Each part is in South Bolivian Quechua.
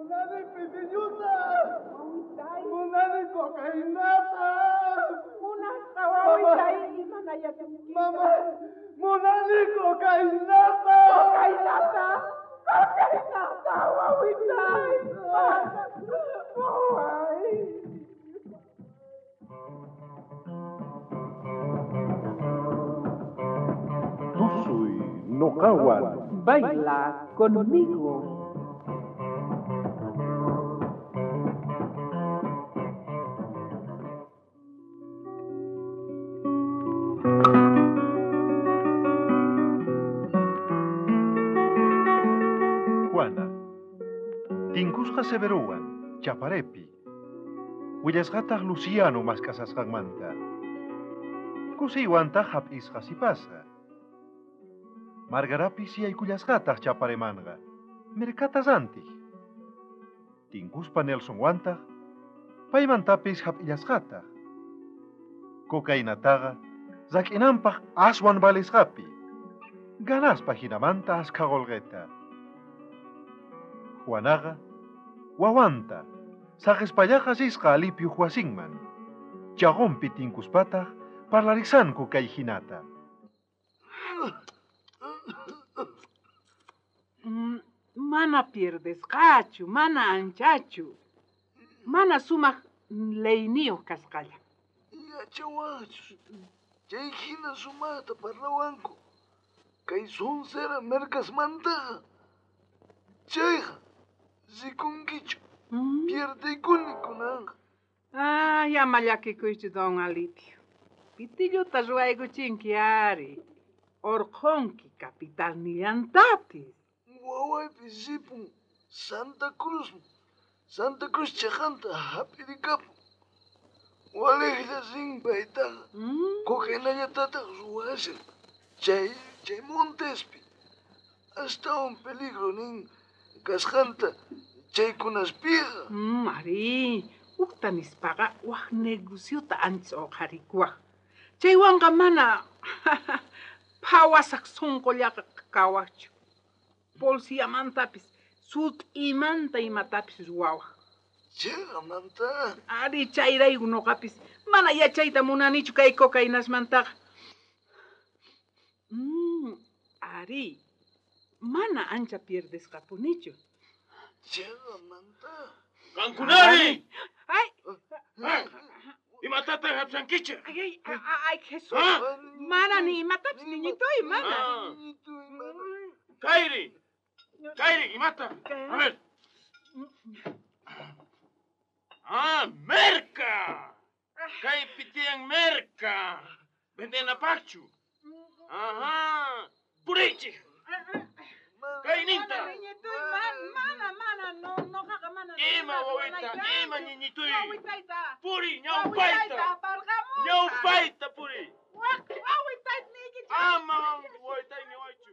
Munani pitilluta. Wawitay. Munani cocainata. Munasqa wawitay imana yachanki. Mama, munani cocainata. Cocainata. Cocainata, wawitay. Waway. Tusuy noqawan. Baila conmigo. Juana. Tinkusqa Severowan, Chaparepi. Willasqataq Luciano mask'asasqanmanta. Kusiywantaq hap'isqa sipasqa. Margarapis yaykullasqataq Chaparemanqa. Mirkatas antij. Tinkuspa Nelsonwantaq, paymantapis hap'illasqataq. Cocainataqa rak'inanpaq aswan valisqapi. Ganaspa hinamanta askha qolqeta. Juanaqa wawanta saqispallaqa risqa alipyuq wasinman. Chaqunpi tinkuspataq parlarisanku kay hinata. Mana pierdesqachu, mana anchachu. Mana sumaq leyniyuq kasqalla. Yachawachus. Chay hina sumaqta parlawanku. Kay sonsera merkasmantaqa. Chayqa rikunkichu. Pierdeykuni kunanqa. Ay, ama llakikuychu don Alipio. Pitilluta ruwaykuchinki ari. Orqhunki capitalnillantapis. Wawaypis ripun Santa Cruz. Santa Cruz chaqanta hap'irikapun. Waliqlla rin paytaqa. Cocainallatataq ruwashan. Chay montespi. Astawan peligro nin kasqanta chaykunaspiqa. Ari, uqta nispaqa wak negociota ancha uqharikuwaq. Chaywanqa mana phawasaq sunqullaqa kawaqchu. Policiamantapis sut'imanta imatapis ruwawaq. Chayqamanta. Ari, chayrayku nuqapis mana yachayta munanichu kay cocainasmantaqa. Ari, mana ancha pierdesqapunichu. Chayqamanta. ¡Qankunari! Ay! Imatataq hapsankichik? Ay, ay, ay, Jesús. Mana ni imatapis niñitoy, mana. Kairi. Kairi, imata. A ver. Ah, merca. Kaypi tiyan merca. Vendenapaqchu. Ajá. Purichik. Kayninta. Mana niñitoy, mana, mana, no, noqaqa mana. Ima wawita, ima niñitoy. Wawitayta. Puri, ñawpayta. Aparqamusaq. Ñawpayta puri. Wawitayta niykichik. Ama wawitay niwaychu.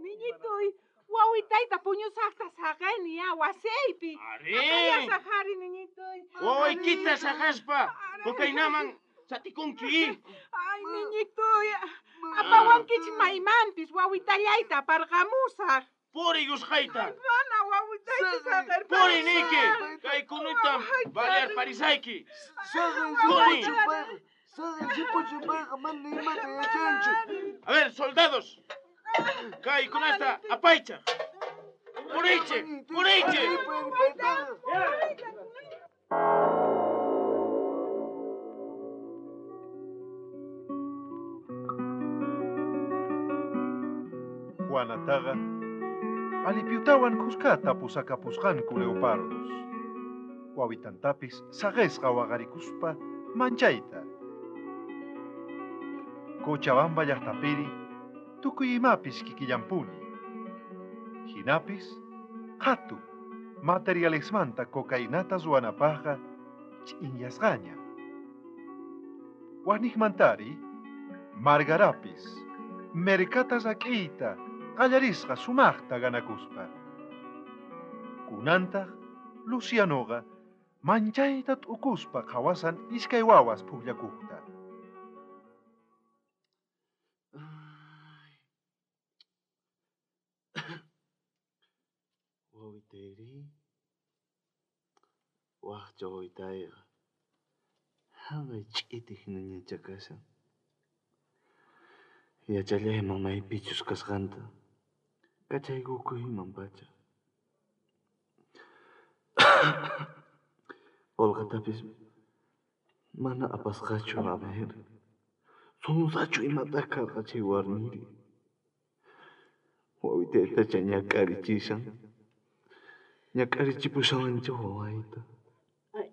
Niñitoy, wawitayta puñusaqta saqeni ya wasiypi. Ari. Apallasaq ari, niñitoy. Wawaykita saqaspa cocainaman satikunki. Ay, niñitoy, apawankichik maymanpis wawitallayta aparqamusaq. Puri yusqayta. Mana wawitayta saqerpasaq. Puri niyki, kaykunutam balear parisayki. Puri. Saqen mana imata yachanchu. A ver, soldados. Kaykunasta apaychaq. Purichik, purichik. Juanataqa Alipyutawan kuskata pusakapusqanku leopardos. Wawitantapis saqesqa waqarikuspa manchayta. Cochabamba llaqtapiri tukuy imapis kikillampuni. Hinapis qhatu materialesmanta cocainata ruwanapaqqa ch'inyasqaña. Waniqmantari Margarapis merkata rak'iyta qallarisqa sumaqta ganakuspa. Kunantaq Lucianoqa manchayta t'ukuspa qhawasan iskay wawas pukllakuqta. Wawitayrí, wajcha wawitayqa jaqay ch'iti hinañachá kashan. Yachallayman maypichus kasqanta, kachaykukuyman pacha. Qolqetapis mana apasqachu, a ver. Sonsachu imata karqa chay warmiri. Wawitaytacha ñak'arichishan. Ñak'arichipushawancha wawayta. Ay,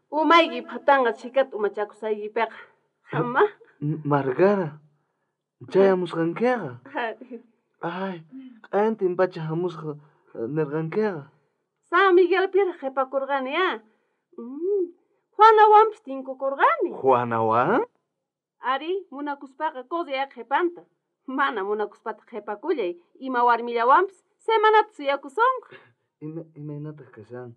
umayki phatanqa chhikata umachakusaykipiqa. Ama. Margara, chayamusqankiqa. Ay, q'ayantin pacha hamusqa nirqankiqa. San Miguelpiraq qhipakurqani, a. Juanawanpis tinkukurqani. Juanawan? Ari, munakuspaqa correa qhipanta. Mana munakuspataq qhipakullay, ima warmillawanpis semanata suyakusonqa. Imaynataq kashan?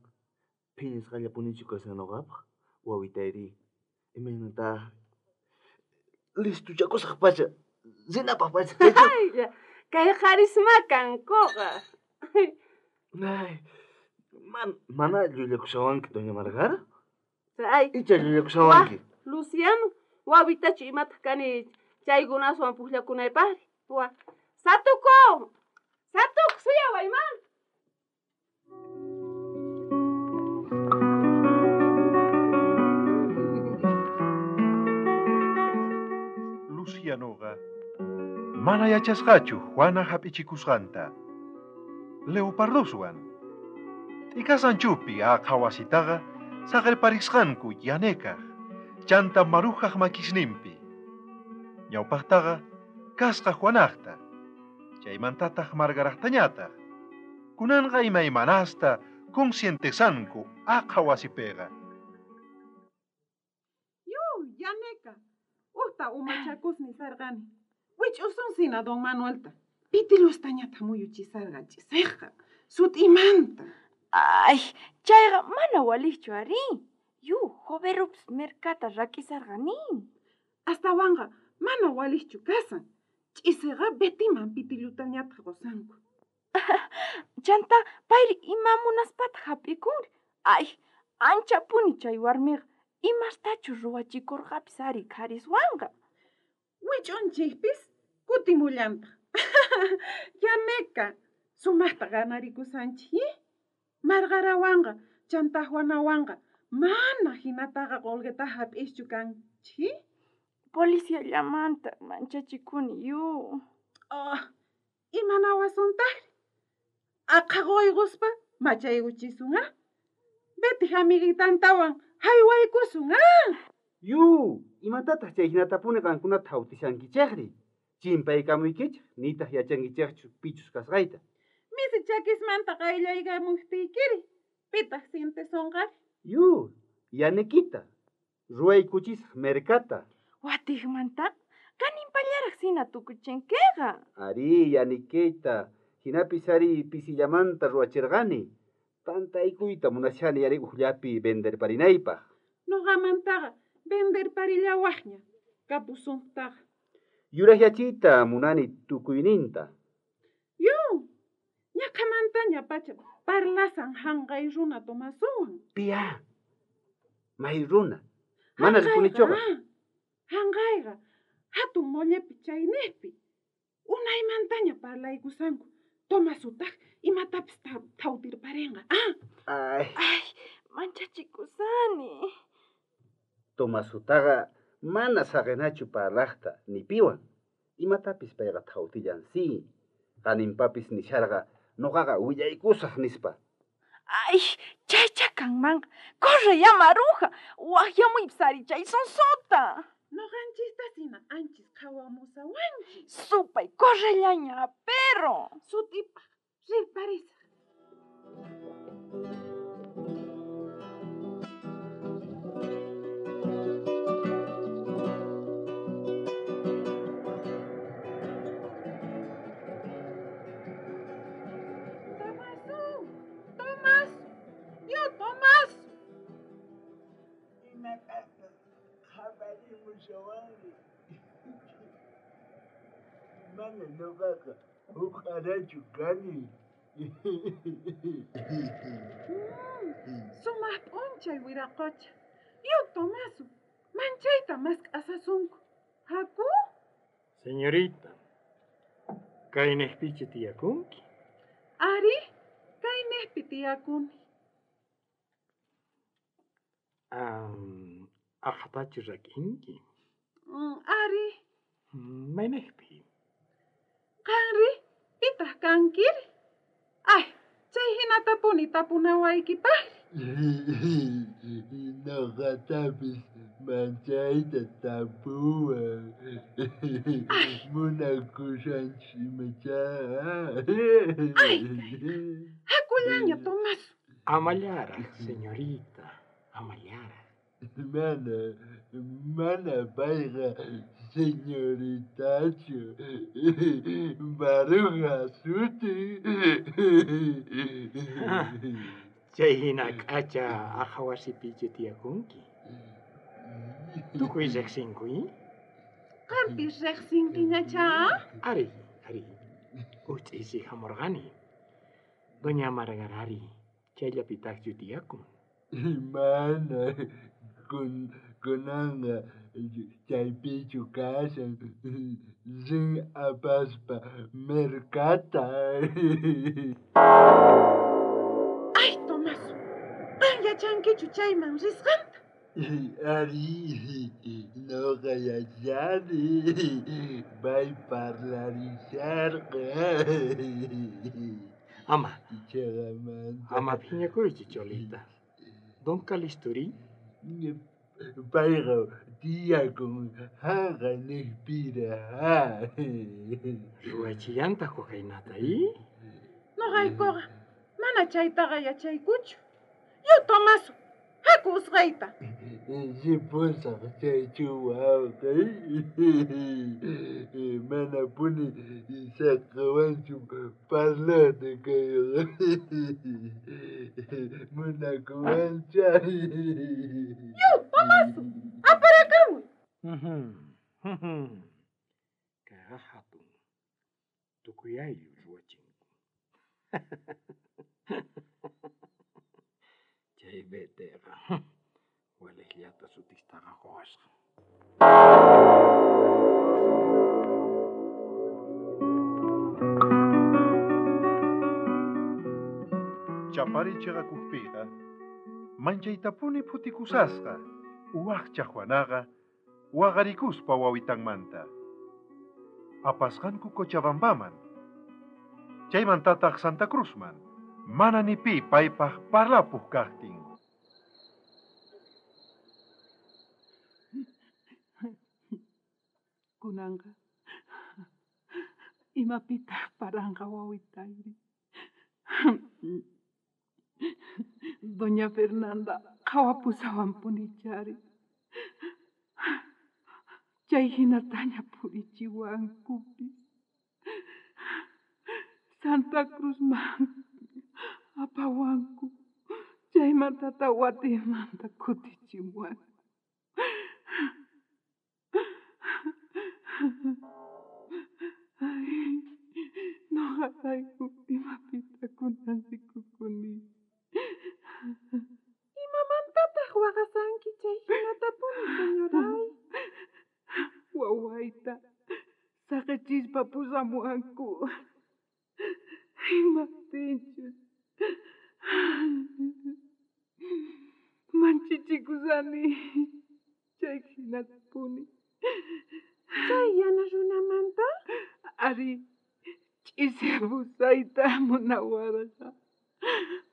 Phiñasqallapunichu kashan noqapaq? Wawitayri, imaynataq? Listuchakusaq pacha, rinapaq pacha. Ay, kay qharisma kankuqa. Ay, mana llullakushawanki, doña Margara? Ay. Icha llullakushawanki. Luciano, wawitachu imataq kani chaykunaswan pukllakunaypaqri. Wa, Satuku! Satuku, suyaway, ma! Lucianoqa mana yachasqachu Juana hap'ichikusqanta. Leopardoswan t'ikasanchupi aqha wasitaqa saqerparisqanku yanekaq, chanta marujaq makisninpi. Ñawpaqtaqa kasqa Juanaqta, chaymantataq Margaraqtañataq. Kunanqa imaymanasta conscientesanku aqha wasipiqa. Yu, yaneka, uqta umachakusni sarqani. Wich'usunsina don Manuelta. Pitilustañata muyuchisarqa ch'isiyqa, sut'imanta. Ay, chayqa mana waliqchu ari. Yu, joverupis merkata rak'isarqani. Astawanqa mana waliqchu kasan. Ch'isiyqa Betiman pitillutañataq qusanku. Chanta payri ima munaspataq hap'ikunri. Ay, anchapuni chay warmiqa. Imastachu ruwachikurqapis ari qhariswanqa. Wich'unchikpis kutimullantaq. Yaneka, sumaqta ganarikusanchik, ¿eh? Margarawanqa, chanta Juanawanqa, mana hinataqa qolqeta hap'ischu kanchik, ¿eh? Policiallamanta manchachikuni yu. Oh, imanawasuntaqri? Aqha quyquspa machaykuchisun, ah? Betij amiguitantawan haywaykusun, ah? Yu, imatataq chay hinatapuni qankunata hawtishankichikri? Chimpaykamuykichik, nitaq yachankichikchu pichus kasqayta. Misi chakismanta qayllaykamuqtiykiri, pitaq sientesonqari? Yu, yanekita, ruwaykuchisaq merkata. Watiqmanta, kaninpallaraq sina tukuchinkiqa. Ari, yanikita, hinapis ari pisillamanta ruwachirqani. Tantaykuyta munashani ari ujllapi venderparinaypaq. Noqamantaqa venderparillawaqña, kapusuntaqa. Yuraqyachiyta munani tukuyninta. Yu, ñaqhamantaña pacha parlasan hanqay runa Tomasuwan. Pia, may runa, mana rikunichuqa. Hanqayqa hatun mollepi chayniqpi. Unaymantaña parlaykusanku. Tomasutaq imatapis thawtirparinqa. Ah. Ay. Ay, manchachikusani. Tomasutaqa mana saqinachu parlaqta ni piwan. Imatapis payqa thawtillan si. Qaninpapis nisharqa noqaqa willaykusaq nispa. Ay, chaycha kanmanqa. Corre ya, Maruja. Waqyamuypis ari chay sonsota. Noqanchista sina anchis qhawamusawanchis. Supay, correllaña, perro. Sut'ipaq rirparisaq. Tomasu, Tomasu, yo Tomasu. Imatataq qhaparimushawanri? Mana noqaqa huq'arachu kani. Sumaq p'unchay wiraqocha. Yu Tomaso, manchayta mask'asasunku. Haku? Señorita, kaynejpichu tiyakunki? Ari, kaynejpi tiyakuni. Aqhatachu rak'inki? Ari. Maynejpi? Qanri, pitaq kankiri? Ay, chay hinatapuni tapunawaykipaqri. Noqatapis manchayta tapuwan. Munakushanchis imachá. Ay, hakullaña, Tomaso. Amallaraj, señorita, amallaraj. Mana, mana payqa señoritachu. Maruja sutin. Chay hina k'acha aqha wasipichu tiyakunki? Tukuy riqsinku, Qampis riqsinkiñachá? Ari, ari. Uj ch'isi hamurqani. Doña Margarari chayllapitaqchu tiyakun? Mana, kunanqa chaypichu kashan. Rin apaspa mercata. Ay, Tomaso, qan yachankichu chayman risqanta? Ari, noqa yachani. Pay parlarisharqa. Ama, Chayamanta. ama phiñakuychu, Cholita. Don Calisturi? Payqa tiyakun haqaynejpiraq. Ruwachillantaq cocainata, i? Noqaykuqa mana chaytaqa yachaykuchu. Yu Tomaso, haku usqayta. Ripusaq chaychu wawqey. Manapuni saqawanchu parlata kayqa. Munakuwancha. Yu Tomaso, aparakamuy. Kayqa hatun. Tukuy ayllu ruwachinku. Chay beteqa walejllata sutistaqa quwasqa. Chapari chiqakujpiqa manchaytapuni phutikusasqa waqcha Juanaqa waqarikuspa wawitanmanta. Apasqanku Cochabambaman. Chaymantataq Santa Cruzman. Mana ni pi paypaq parlapuq kaqtin. Kunanqa imapitaq paranqa wawitayri. Doña Fernanda qhawapusawanpunichari. Chay hinataña purichiwankupis. Santa Cruzman apawanku. Chaymantata watimanta kutichimuwanku. Ay, noqarayku imapita kunan rikukuni. Imamantataq waqasanki chay hinatapuni, señoray? Wawayta saqichispa pusamuwanku. Imaptinchus manchichikusani chay hinatapuni. Chay yana runamanta? Ari, ch'isi abusayta munawarqa.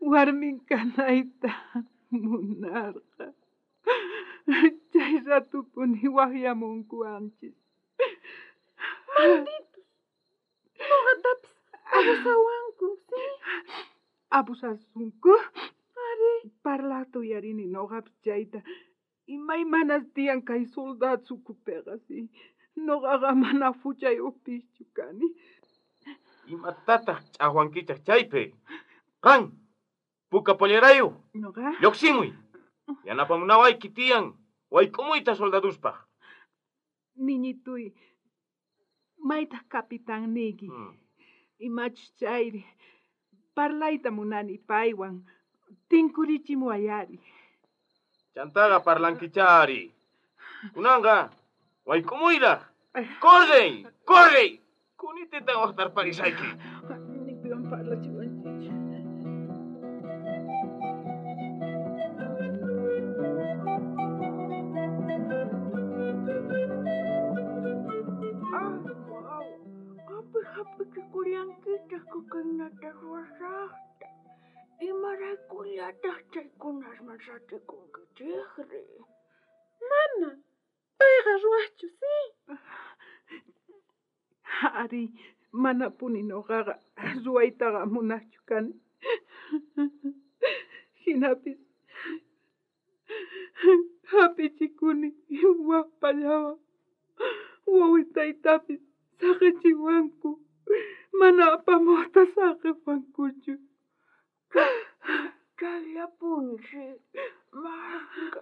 Warmin kanayta munarqa. Chay ratupuni waqyamunkuwanchis. Malditos! Noqatapis abusawanku, sí? Abusasunku? Ari. Parlata uyarini noqapis chayta. Imaymanas tiyan kay soldado sukupiqa, sí. Noqaqa mana huchayuqpischu kani. Imatataq ch'aqwankichaq chaypi? Qan, puka pollerayuq. Noqa? Lluqsimuy. Yanapamunawayki tiyan wayk'umuyta soldaduspaq. Niñituy, maytaq capitanniyki? Imachus chayri? Parlayta munani paywan. Tinkurichimuwayari. Chantaqa parlankichari. Kunanqa wayk'umuyraj. ¡Corre! ¡Corre! Kunitita waqtarparisayki. Ni piwan parlachiwanchich. Ay, wawa, qampi hap'ichikullankitaj cocainata ruwasajta. Imaraykullataj chaykunasman satikunkichejri? Mana, payqa ruwajchu, sí. Ari, manapuni noqaqa ruwaytaqa munajchu kani. Hinapis hap'ichikuni wajpallawan. Wawitaytapis saqichiwanku. Mana apamuqta saqiwankuchu. Chayllapuni, sí. Mashka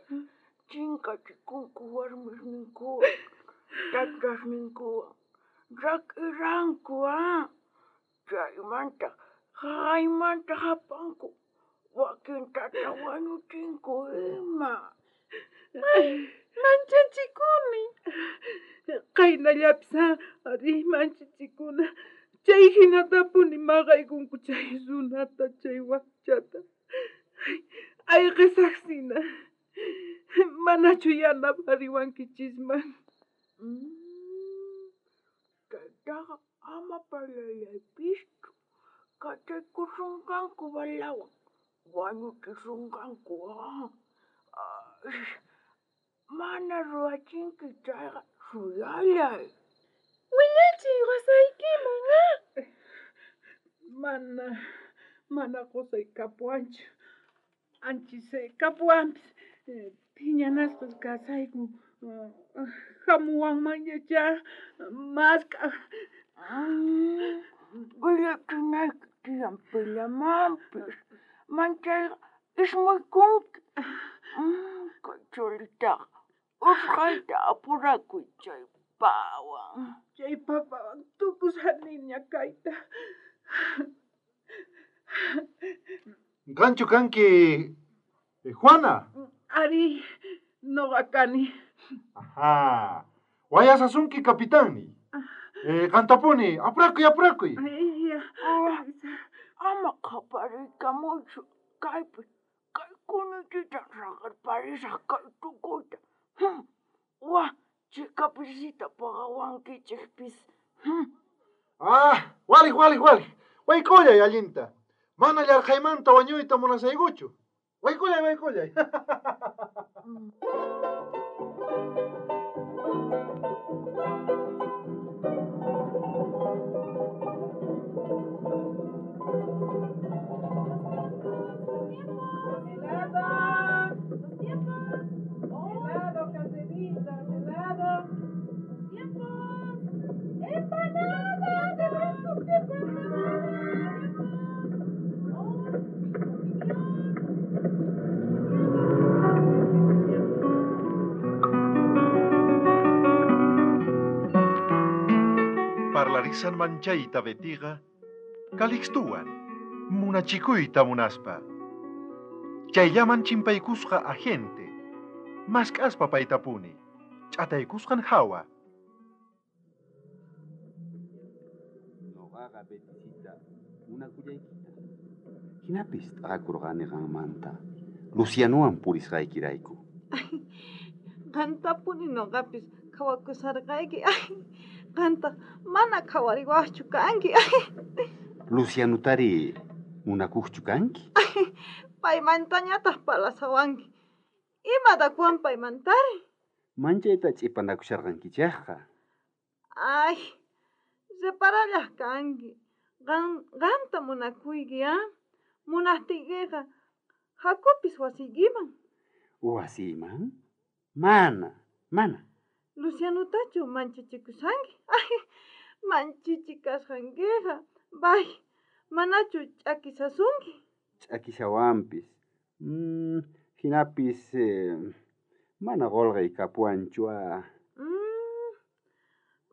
chinkachikunku warmisninkuwan, tatasninkuwan, rak'iranku, ah. Chaymanta jaqaymanta hapanku, wakintata wañuchinku ima. Ay, manchachikuni. Qaynallapis ari manchachikuna. Chay hinatapuni maqaykunku chay runata, chay wakchata. Ayqisaqsina. Manachu yanapariwankichisman? Chaytaqa ama parlallaypischu. Kachaykusunqanku balawan, wañuchisunqanku. Ay, mana ruwachinki chayqa suyallay. Willachiy qosaykiman, ah. Mana, mana qosay kapuwanchu. Anchis kapuwanpis phiñanasqas kasayku. Hamuwanmanñachá mask'aj. Willachinayki tiyan pillamanpis. Manchayqa ismuykunki. Kay cholitaqa usqhayta apurakuy chay pawan. Chay papawan tukusaniña kayta. Qanchu kanki Juana. Ari, noqa kani. Ajá. Wayasasunki capitanni. Qantapuni, apurakuy, apurakuy. Ama qhapariykamuychu kaypi. Kay kunitita saqerparisaj kay tukuyta. Wa, chika pisita pagawankichejpis. Ah, walej, walej, walej. Wayk'ullay allinta. Mana llarqhaymanta wañuyta munasaykuchu. Wayk'ullay, wayk'ullay. Helado, caserita, helado. Empanada, de brinco, Parlarisan manchayta Betiqa, Calixtuwan, munachikuyta munaspa. Chayllaman chimpaykusqa agente, mask'aspa paytapuni, ch'ataykusqan hawa. Noqaqa Beticita munakullaykita. Hinapis t'aqakurqani qanmanta. Lucianowan purisqaykirayku. Qantapuni noqapis qhawakusharqayki. Ay, qantaq mana qhawariwaqchu kanki. Lucianotari munakuqchu kanki? Paymantañataq parlasawanki. Imatakuwan paymantari? Manchayta ch'ipanakusharqankichejqa. Ay, reparallaq kanki. Qanta munakuyki, ah? Munaqtiykiqa hakupis wasiykiman. Wasiyman? Mana, mana. Lucianotachu manchachikushanki? Ay, manchichikasqankiqa. Bay, manachu ch'akisasunki? Ch'akishawanpis. Hinapis mana qolqay kapuwanchu, ah.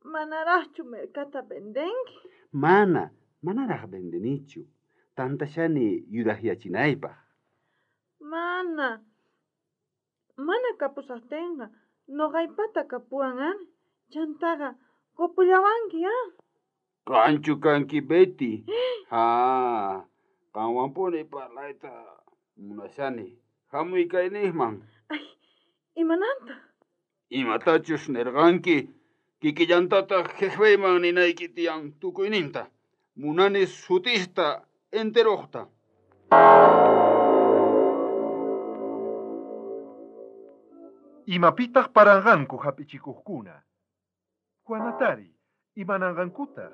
Manaraqchu mercata vendenki? Mana, manaraq vendenichu. Tantashani yurajyachinaypaj. Mana. Mana kapusajtenqa noqaypata kapuwan ari. Chantaqa qopullawanki, ah? Qanchu kanki Betty. Ha, qanwanpuni parlayta munashani. Hamuy kaynejman. Imananta? Imatachus nerqanki, kikillantataq jefeyman ninayki tiyan tukuyninta. Munani sutista enterojta. Imapitaq paranqanku hap'ichikuqkuna. Juanatari, imananqankutaq.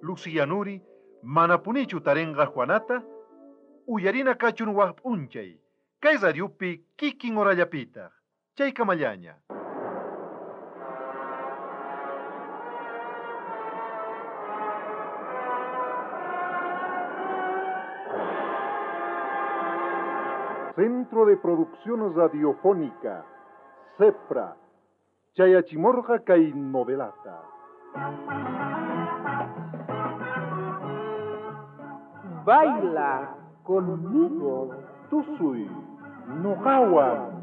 Lucianuri, manapunichu tarinqa Juanata, uyarina kachun waj p'unchay, kay radiopi kikin horallapitaq, chaykamallaña. Centro de Producción Radiofónica, CEPRA, Chayachimorga kay novelata. Baila conmigo. Tusuy, noqawan.